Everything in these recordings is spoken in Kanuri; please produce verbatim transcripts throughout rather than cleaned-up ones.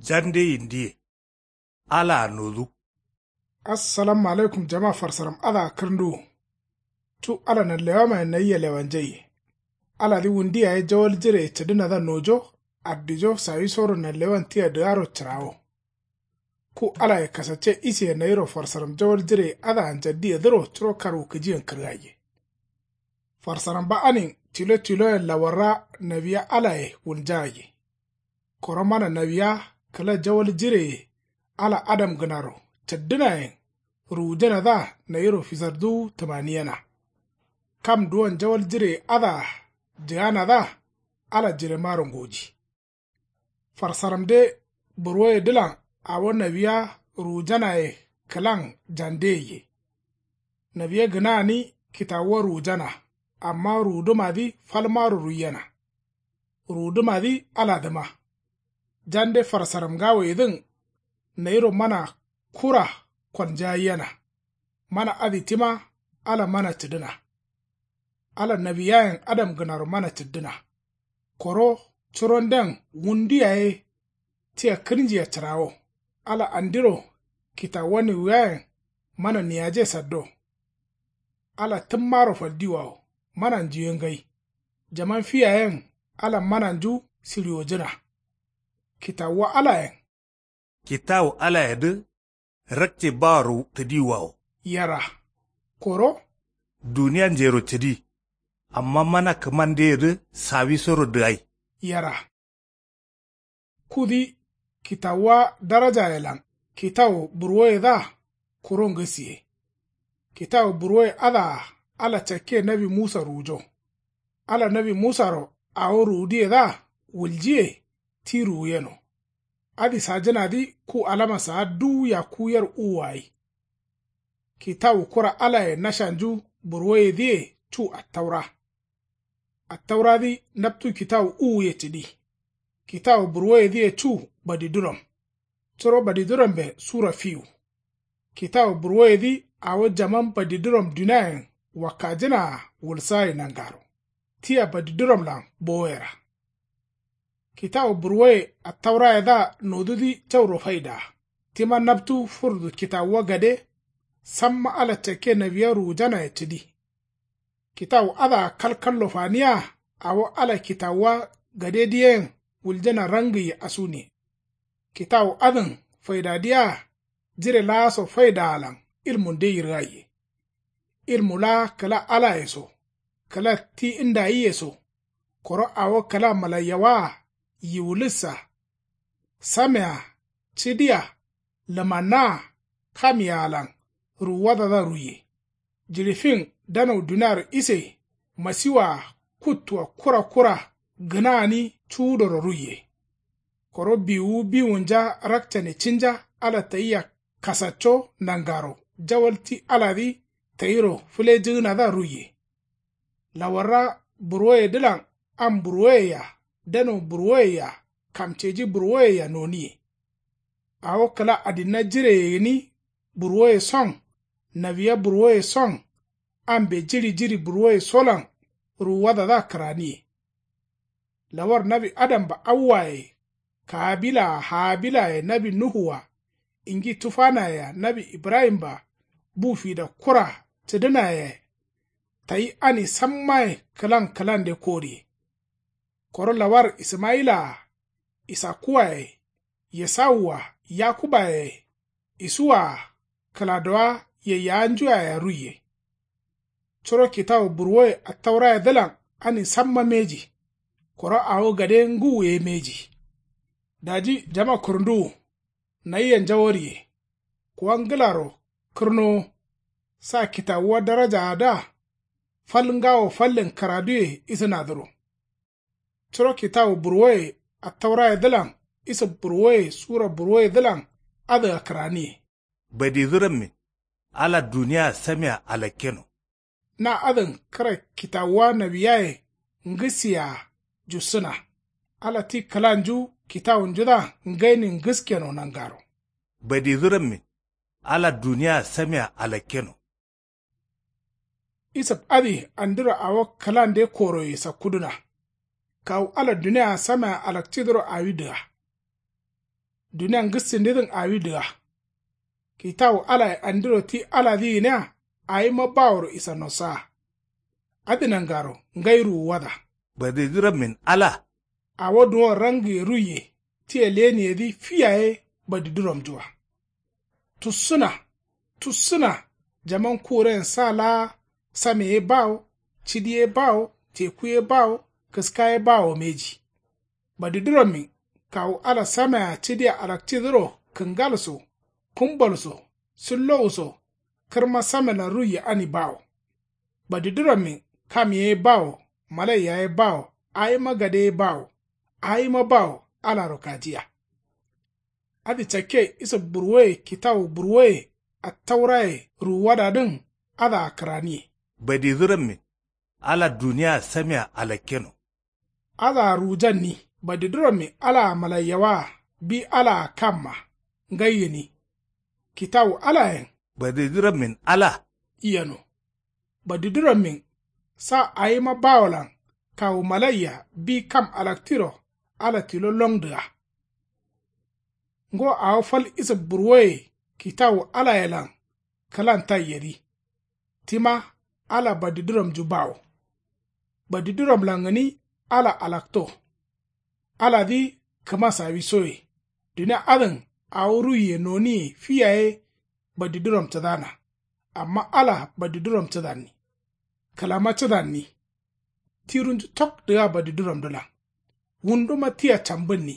Jande yindiye. Alaa nodu. Assalamu alaikum jama farsaram adǝa kǝrǝnduwu. Cu ala nanlewamayen nayia lewanjaiye. Aladǝ wundu yaye jawal jireye cǝdǝnadǝa nojo. Addijo sawisoro nanlewan tia dǝgaro cǝrawo. Ku alaye kasacce isiye nayiro farsaram jawal jireye adǝa njaddiyedǝro curo karwukǝjiyen kǝrgaiye. Farsaramba anin tilo tiloyen lawarra nawiya alaye wulnjagaiye. Koro mana nawiya kǝla jawal jireye ala adamgǝnaro cǝddǝnayen ruwujanadǝa nayiro fisarduwu tǝmaniyena. Kam duwon jawal jireye adǝa jǝganadǝa ala jiremaro ngoji. Farsaramde burwoyedǝlan awo nawiya ruwujanaye kǝlan jandeyeye. Nawiya gǝnagani kitawuwa ruwujana. Amma ruwudǝmadǝ falmaro ruiyena. Ruwudǝmadǝ aladǝma. Jande farsaram ngawoyedǝn nayiro mana kura kolnjaiyena. Mana adǝ tima ala mana cǝdǝna. Ala nawiyayen adamgǝnaro mana cǝddǝna. Koro curonden wundu yaye tia kǝrnjia cǝrawo. Ala andiro kitawuwa niwuyayen mana niyaje saddo. Ala tǝmmaro faldiwawo mana njuye ngai. Jaman fi yayen ala mananju siriwojǝna. Kitawuwa alayen. Kitawu alayedǝ rakce baworo tǝdiwawo. Yera. Koro. Duniya njero cǝdi. Amma mana kǝmandeyedǝ sawisoro dǝgai. Yera. Kudǝ kitawuwa darajayelan kitawu burwoyedǝa kuro ngǝsiye. Kitawu burwoye adǝa ala cakke nawi musa ruwujo. Ala nawi musaro awo ruwudǝyedǝa wuljiye ti ruwuyeno. Adǝ sajǝnadǝ ku alama saa duwu yakku yer uwuwa gai. Kitawu kura alaye nashanju burwoyedǝye cu attaura. Attauradǝ naptu kitawu uwuye cǝdi. Kitawu burwoyedǝye cu badiduram. Curo badidurambe sura fiwu. Kitawu burwoyedǝ awo jaman badiduram duniayen wakkajǝnaa wulsagai nangaro. Tia badiduramlan bowoyera. Kitawu burwoye attaurayedǝa nodudǝ jauro faidaa. Tima naptu furdu kitawuwa gade. Samma ala cakke nawiya ruwujanaye cǝdi. Kitawu adǝa kalkallo faniya. Awo ala kitawuwa gadedǝ yen wuljana rangǝye asuniye. Kitawu adǝn faidadǝ yea jire laaso faidaalan ilmunde yirgaiye. Ilmu laa kǝla alaye so kǝla ti ndayiye so. Koro awo kǝla malaiyawaa yiwulǝssa samea cǝdia lǝmannaa kam yaalan ruwuwadadǝa ruiye. Jiɍi fin danau duniaro ise masiwaa kuttua kura kura gǝnagani cuwudoro ruiye. Koro biwuwu biwunja rakcane cinja ala tayia kasacco nangaro jawal ti aladǝ tayiro fǝlejǝgǝnadǝa ruiye. Lawarra burwoyedǝlan am burwoyea danau burwoyea kamceji burwoyea noniye. Awo kǝla adinna jireye gǝni burwoye son nawiya burwoye son ambe jiɍi jiɍi burwoye solan ruwuwadadǝa kǝraniye. Lawar nawi adamba awwaye kaabilaa haabilaye nawi nuhuwa ingi tufanayea nawi ibrahimba bu fida kura cǝdǝnaye. Tayi ani sammaye kǝlan kǝlande koriye. Koro lawar ismayilaa isakkuwaye yesawua yakubaye isuwaa kǝladowa yeyyawanjuyayea ruiye. Curo kitawu burwoye attaurayedǝlan ani samma mbeji. Koro awo gade ngǝwu ye mbeji. Daji jama kurnduwu nayia njawariye. Kuwa ngǝlaro kǝrnowo. Sa kitawuwa darajaadǝa fal ngawo fallen kǝraduye isǝnadǝro. Curo kitawu burwoye attaurayedǝlan isǝ burwoye sura burwoyedǝlan adǝa kǝraniye. Badidurammin ala duniyaa samea alakkeno. Na adǝn kǝra kitawuwa nawiyaye ngǝsiyaa jussǝna. Ala ti kǝlanju kitawunjudǝa ngainin ngǝskeno nangaro. Badidurammin ala duniyaa samea alakkeno. Isǝf adǝ andiro awo kǝlande koroye sakkudǝna. Kawu ala duniyaa samea alakcidǝro awi dǝga. Dunia ngǝssindidǝn awi dǝga. Kitawu alaye andiro ti aladǝ gǝnia awima baworo isa nosaa. Adǝ nangaro ngai ruwuwada. Badidǝ rammin ala. Awo duwon rangiye ruiye tia leniyedǝ fi yaye badidǝ romnjua. Tussǝna, tussǝna. Jaman kuren sa laa same ye bawo, cidi ye bawo, teku ye bawo, kǝska ye bawo mbeji. Badidǝ rammin kawu ala samea cidia alakcidǝro kǝngal so, kǝmbal so, sillowu so. Kǝrma samelan ruiye ani bawo. Badidǝ rammin kam ye bawo, malaiya ye bawo, awima gade ye bawo. Awima bawo alaro kajiya. Adǝ cakke isǝb burwoye kitawu burwoye attauraye ruwuwadadǝn. Adǝa kǝraniye. Badidǝ rammin ala duniyaa samea alakkeno. Adǝa ruwujanni. Badidǝ rammin alaa malaiyawaa bi alaa kamma ngai gǝni. Kitawu alayen. Badidǝ rammin ala. Yeno. Badidǝ rammin sa awima bawolan kawu malaiya bi kam alaktiro ala tilo longdǝa. Ngo awo fal isǝb burwoye kitawu alayelan kǝlan taiyedǝ. Tima ala badidǝ ramnju bawo. Badidǝ ramlan gǝni ala alakto. Aladǝ kǝma sawisoye. Dunia adǝn awo ruiye noniye fi yaye badidǝ rom cǝdana. Amma ala badidǝ rom cǝdanni. Kǝlama cǝdanni. Tirunju tok dǝga badidǝ romdǝlan. Wunduma tia cambǝnni.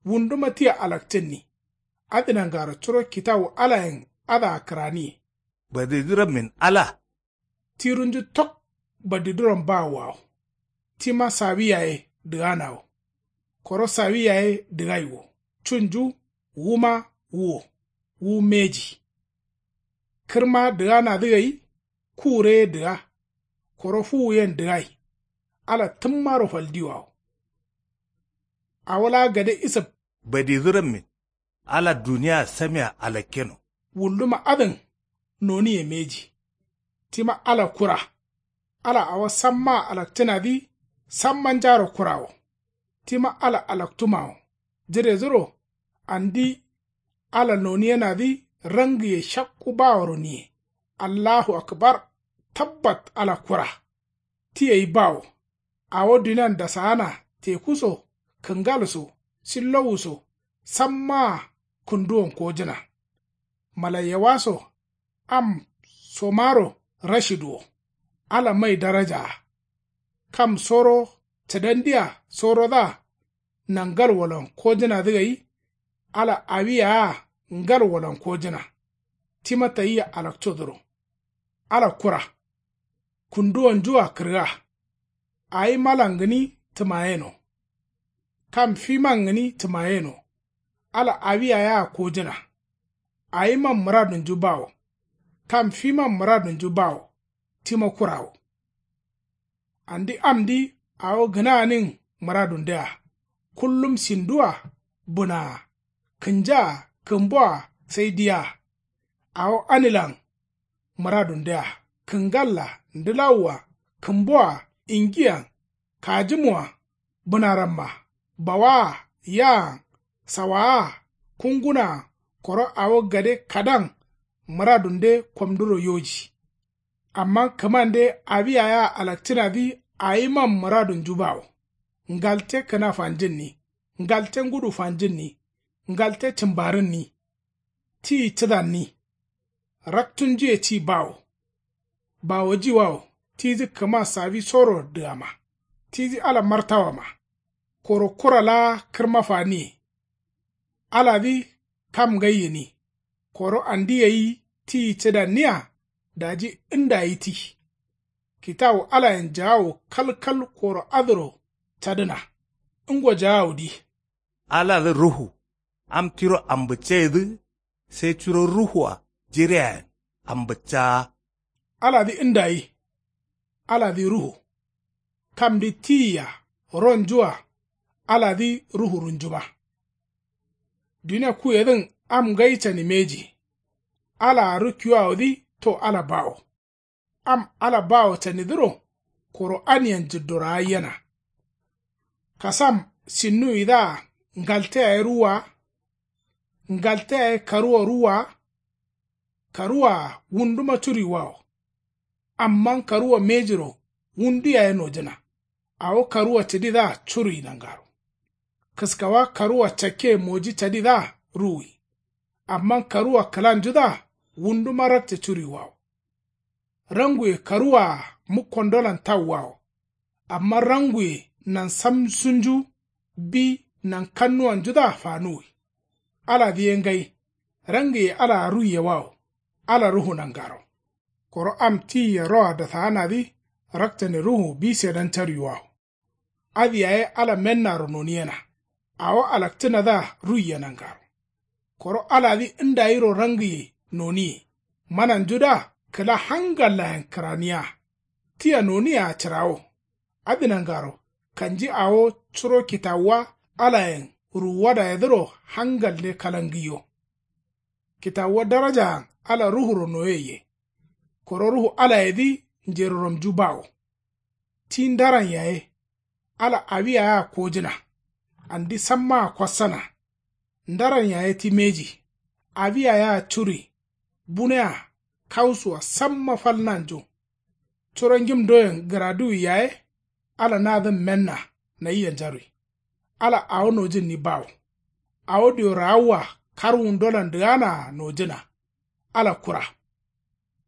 Wunduma tia alakcǝnni. Adǝ nangaro curo kitawu alayen adǝa kǝraniye. Badidǝ rammin ala. Tirunju tok badidǝ rom bawoawo. Tima sawi yaye dǝganawo. Koro sawi yaye dǝgai wo. Cunju wuma wuwo. Wu mbeji. Kǝrma dǝganadǝ gai. Kure ye dǝga. Koro fuwu yen dǝgai. Ala tǝmmaro faldiwawo. Awo laa gade isǝb. Badidǝ rammin ala duniyaa samea alakkeno. Wulduma adǝn noniye mbeji. Tima ala kura. Ala awo sammaa alakcǝnadǝ sammanjaro kurawo. Tima ala alaktumawo. Jiredǝro andi ala noniyenadǝ rangiye shakku baworo niye. Allahu akbar. Tabbat ala kura. Ti gai bawo. Awo dunian dasaana teku so kǝngal so sillowu so sammaa kǝnduwon kojǝna. Malaiyawa so am somaro rashid wo. Ala mai darajaa. Kam soro cǝdandiya sorodǝa nangalwolan kojǝnadǝ gai. Ala awi yaaa ngalwolan kojǝna. Tima tayia alakcodǝro. Ala kura. Kunduwonjua kǝrga. Awimalan gǝni tǝmayeno. Kam fiman gǝni tǝmayeno. Ala awi yayaa kojǝna. Awiman mǝradunju bawo. Kam fiman mǝradunju bawo. Tima kurawo. Andi amdǝ awo gǝnaanin mǝradundea. Kullum sindua bǝnaa kǝnjaa kǝmboa sai diyaa. Awo anilan mǝradundea kǝngalla ndǝlawua kǝmboa ingiyan kajǝmua bǝnaramma bawaa yaan sawaa kungunaa koro awo gade kadan mǝradunde komduro yoji. Amma kǝmande awi yayaa alakcǝnadǝ awiman mǝradunju bawo. Ngalte kǝna fanjǝnni. Ngalte ngudu fanjǝnni. Ngalte cǝmbarǝnni. Tiyi cǝdanni. Raktunjuye ti bawo. Bawojiwawo tidǝ kǝma sawisoro dǝgama. Tidǝ ala martawama. Koro kura laa kǝrma faniye. Aladǝ kam ngai gǝni. Koro andi gai tiyi cǝdanniya. Daji ndayi ti. Kitawu alayen jaawu kalkal koro adǝro cadǝna. Ngo jaawudǝ. Aladǝ ruhu. Am tiro ambǝcceyedǝ. Sai curo ruhua jiriyayen ambǝccaa. Aladǝ ndayi. Aladǝ ruhu. Kamdǝ tiyia ronjua. Aladǝ ruhurunjuma. Dunia kuyedǝn am ngai cani mbeji. Alaa rukkiwawodǝ to ala bawo. Am ala bawo canidǝro koro aniyen jǝddoraaiyena. Kasam sinnuwidǝa ngalte yaye ruwwa. Ngalte yaye karuwa ruwwa wa. Karuwaa wunduma curuiwawo. Amma karuwa mejiro wundu yaye nojǝna. Awo karuwa cǝdidǝa curui nangaro. Kǝskawa karuwa cakke moji cadidǝa ruwui. Amma karuwa kǝlanjudǝa wunduma rakce curuiwawo. Ranguye karuwaa mukkondolan tauwawo. Amma ranguye nansamsunju bi nankannuwanjudǝa fanuwi. Aladǝ ye ngai. Rangiye alaa ruiyewawo. Ala ruhu nangaro. Koro am tiye roa dasaanadǝ rakcane ruhu bi sedan caruiwawo. Adǝ yaye ala mennaro noniyena. Awo alakcǝnadǝa ruiye nangaro. Koro aladǝ ndayiro rangiye noniye. Mananjudǝa kǝla hangallayen kǝraniya. Tia noniyea cǝrawo. Adǝ nangaro kanji awo curo kitawuwa alayen ruwuwadayedǝro hangalle kalangǝiyo. Kitawuwa darajaan ala ruhuro noyeiye. Koro ruhu alayedǝ njeroramju bawo. Ti ndaran yaye ala awiya yea kojǝna. Andi sammaa kwassana. Ndaran yaye ti mbeji. Awiya yea curui. Bunea kausuwa samma fal nanju. Curo ngim doyen gǝraduwi yaye. Ala nadǝn menna nayia njarui. Ala awo nojǝnni bawo. Awo diyo raawwa karwundolan dǝganaa nojǝna. Ala kura.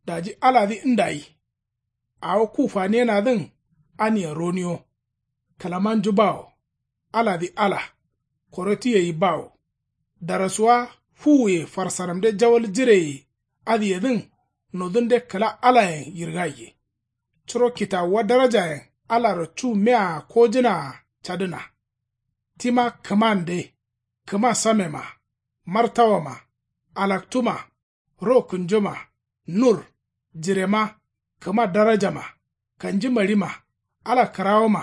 Daji aladǝ ndayi. Awo ku faniyenadǝn ania roniyo. Kǝlamanju bawo. Aladǝ ala. Koro ti gai bawo. Darasuwa fuwuye farsaramde jawal jireye adǝyedǝn nodunde kǝla alayen yirgaiye. Curo kitawuwa darajayen alaro cu mea kojǝnaa cadǝna. Tima kǝmande. Kǝma samema. Martawama. Alaktuma. Ro kǝnjoma. Nur. Jirema. Kǝma darajama. Kanji maɍima. Ala kǝrawoma.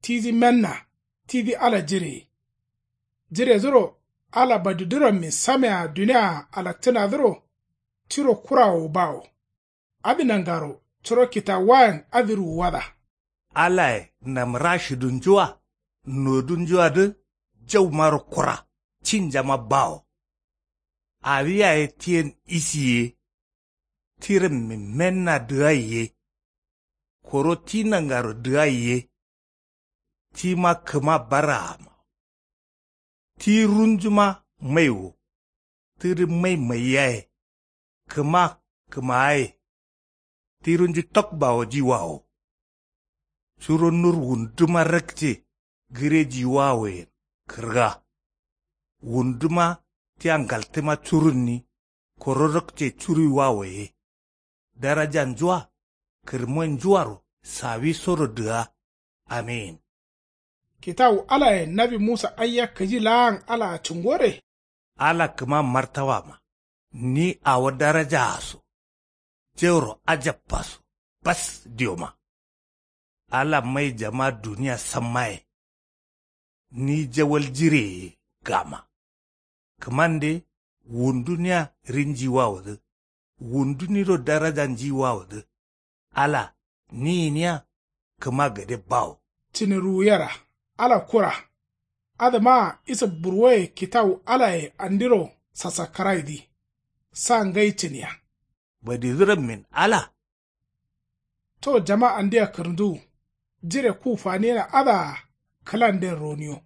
Tiji menna. Tidi ala jireye. Jiredǝro ala badidǝrammin samea duniaa alakcǝnadǝro. Tiro kurawo bawo. Adǝ nangaro curo kitawuwayen adǝ ruwuwada. Alaye namrashidunjua nodunjuadǝ jaumaro kura cinjama bawo. Awi yaye tiyen isi ye. Tirammin menna dǝgai ye. Koro ti nangaro dǝgai ye. Tima kǝma baraama. Ti runjuma mai wo. Tidǝ mai mai yaye. Kǝma kǝmaaye. Ti runju tok bawojiwawo. Curo nur wunduma rakce gǝrejiwawoyen kǝrga. Wunduma tia ngaltǝma curunni. Koro rakce curuiwawo ye. Darajanjua kǝrmonjuaro sawisoro dǝga. Amin. Kitawu alayen nawi musa aiya kǝji laan alaa cǝngore. Ala kǝma martawama. Ni awo darajaa so. Jauro ajabba so. Bas dioma. Ala maijama duniya sammaye. Ni jawal jireye gama. Kǝmande wundu nia rinjiwawodǝ. Wundu niro darajanjiwawodǝ. Ala ni gǝniya kǝma gade bawo. Cǝne ruwuyera. Ala kura. Adǝmaa isa burwoye kitawu alaye andiro sasakkaraidǝ. Sa ngai cǝniya. Badidǝrammin ala. To jama andia kǝrǝnduwu. Jire ku faniyena adǝa kǝlanden roniyo.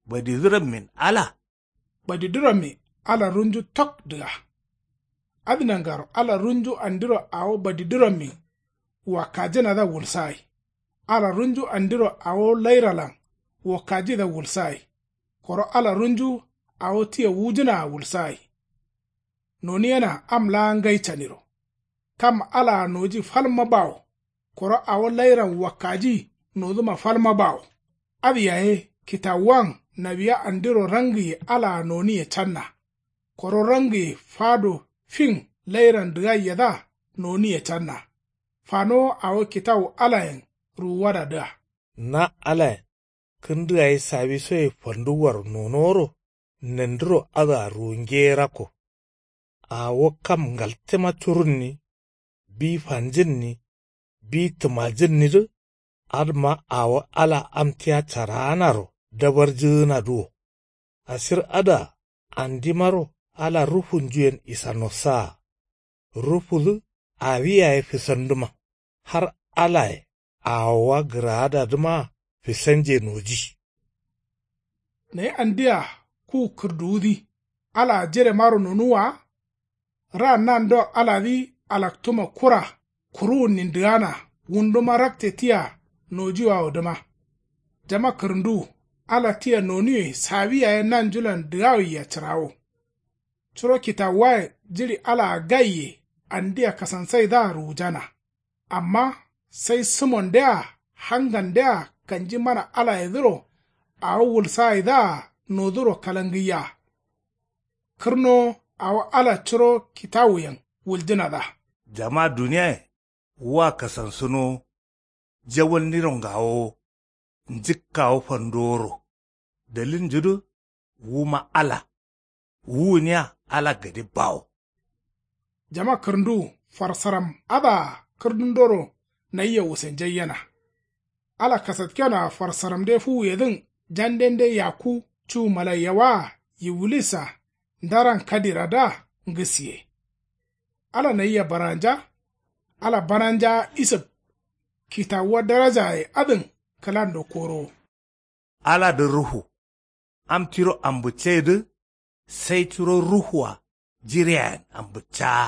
Badidǝrammin ala. Badidǝrammi ala runju tok dǝga. Adǝ nangaro ala runju andiro awo badidǝrammin wakkajǝnadǝa wulsagai. Ala runju andiro awo lairalan wakkajidǝa wulsagai. Koro ala runju awo tia wujǝnaa wulsagai. Noniyena am laa ngai caniro. Kam alaa noji falma bawo. Koro awo lairan wakkaji noduma falma bawo. Adǝ yaye kitawuwan nawiya andiro rangiye alaa noniye canna. Koro rangiye fado fin lairan dǝgaiyedǝa noniye canna. Fanowo awo kitawu alayen ruwuwadadǝa. Na alayen kǝndǝ gai sawisoye fanduwwaro nonoworo nandiro adǝa ruwunge ye rakko. Awo kam ngaltema curunni. Bi fanjǝnni. Bi tǝmajǝnnidǝ. Adǝma awo ala am tia caraanaro dabarjǝgǝnadǝ wo. Asir adǝa andimaro Ala rufunjuyen isanosaa. Rufudǝ awi yaye fisandǝma. Har alaye awowa gǝraadadǝmaa fisanje noji. Nayi andia ku kǝrduwudǝ alaa jiremaro nonuwwa wa? Ra nando aladǝ alaktuma kura kuruwunnin dǝgana wunduma rakte tia nojiwawodǝma. Jama kǝrǝnduwu ala tia nonuwe sawi yaye nanjulan dǝgawaiya cǝrawo. Curo kitawuwaye jiɍi alaa gaiye andia kasansaidǝa ruwujana. Amma sai sǝmondea hangandea kanji mana alayedǝro awo wulsagaidǝa noduro kalangǝiya. Kǝrnowo awo ala curo kitawuyen wuljǝnadǝa. Jama duniyaye wua kasansǝnowo. Jawalniro ngawowo. Njǝkkawo fandoworo. Dalilnjudǝ wuma ala. Wuwuniya ala gade bawo. Jama kǝrǝnduwu farsaram adǝa kǝrdundoro nayia wusenjaiyena. Ala kasatkenoa farsaramde fuwuyedǝn jandende yakku cu malaiyawaa yiwulis-a ndaran kadiradǝa ngǝsiye. Ala nayia baranja. Ala bananjaa isǝb. Kitawuwa darajaye adǝn kǝlando korowo. Aladǝ ruhu. Am tiro ambǝcceyedǝ sai curo ruhua jireayen ambǝccaa.